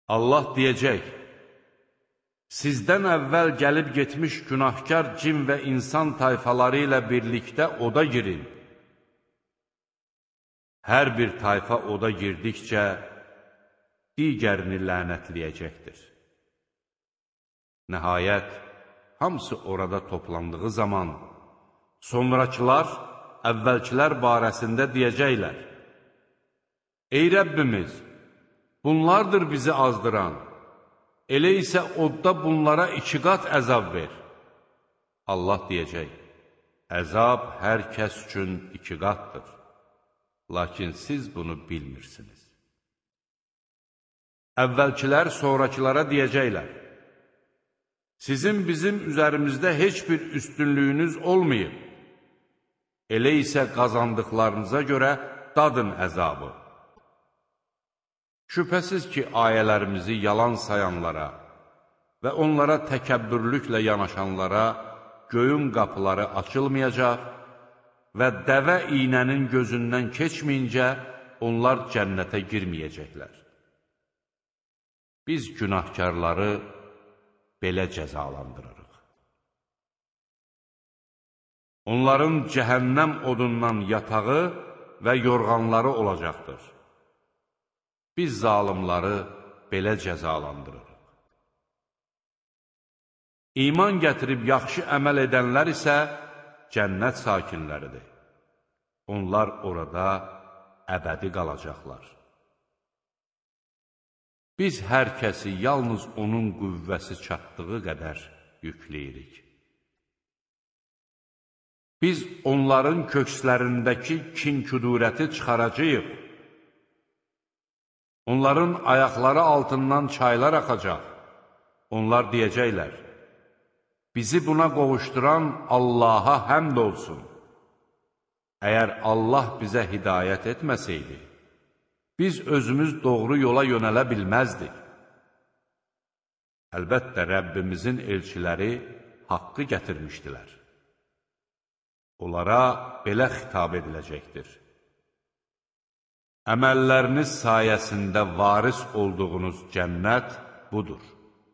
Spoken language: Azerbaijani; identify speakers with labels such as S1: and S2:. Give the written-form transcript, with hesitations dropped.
S1: Allah deyəcək, sizdən əvvəl gəlib getmiş günahkar cin və insan tayfaları ilə birlikdə oda girin. Hər bir tayfa oda girdikcə digərini lənətləyəcəkdir. Nəhayət, hamısı orada toplandığı zaman, sonrakılar əvvəlkilər barəsində deyəcəklər, ey Rəbbimiz, bunlardır bizi azdıran, elə isə odda bunlara 2 qat əzab ver. Allah deyəcək, əzab hər kəs üçün 2 qatdır, lakin siz bunu bilmirsiniz. Əvvəlkilər sonrakılara deyəcəklər, sizin bizim üzərimizdə heç bir üstünlüyünüz olmayıb, elə isə qazandıqlarınıza görə dadın əzabı. Şübhəsiz ki, ayələrimizi yalan sayanlara və onlara təkəbbürlüklə yanaşanlara göyün qapıları açılmayacaq və dəvə iynənin gözündən keçməyincə onlar cənnətə girməyəcəklər. Biz günahkarları belə cəzalandırırıq. Onların cəhənnəm odundan yatağı və yorğanları olacaqdır. Biz zalimları belə cəzalandırırıq. İman gətirib yaxşı əməl edənlər isə cənnət sakinləridir. Onlar orada əbədi qalacaqlar. Biz hər kəsi yalnız onun qüvvəsi çatdığı qədər yükləyirik. Biz onların kökslərindəki kin-küdurəti çıxaracağıq. Onların ayaqları altından çaylar axacaq. Onlar deyəcəklər, bizi buna qovuşduran Allaha həmd olsun. Əgər Allah bizə hidayət etməsəydi, biz özümüz doğru yola yönələ bilməzdik. Əlbəttə, Rəbbimizin elçiləri haqqı gətirmişdilər. Onlara belə xitab ediləcəkdir. Əməlləriniz sayəsində varis olduğunuz cənnət budur.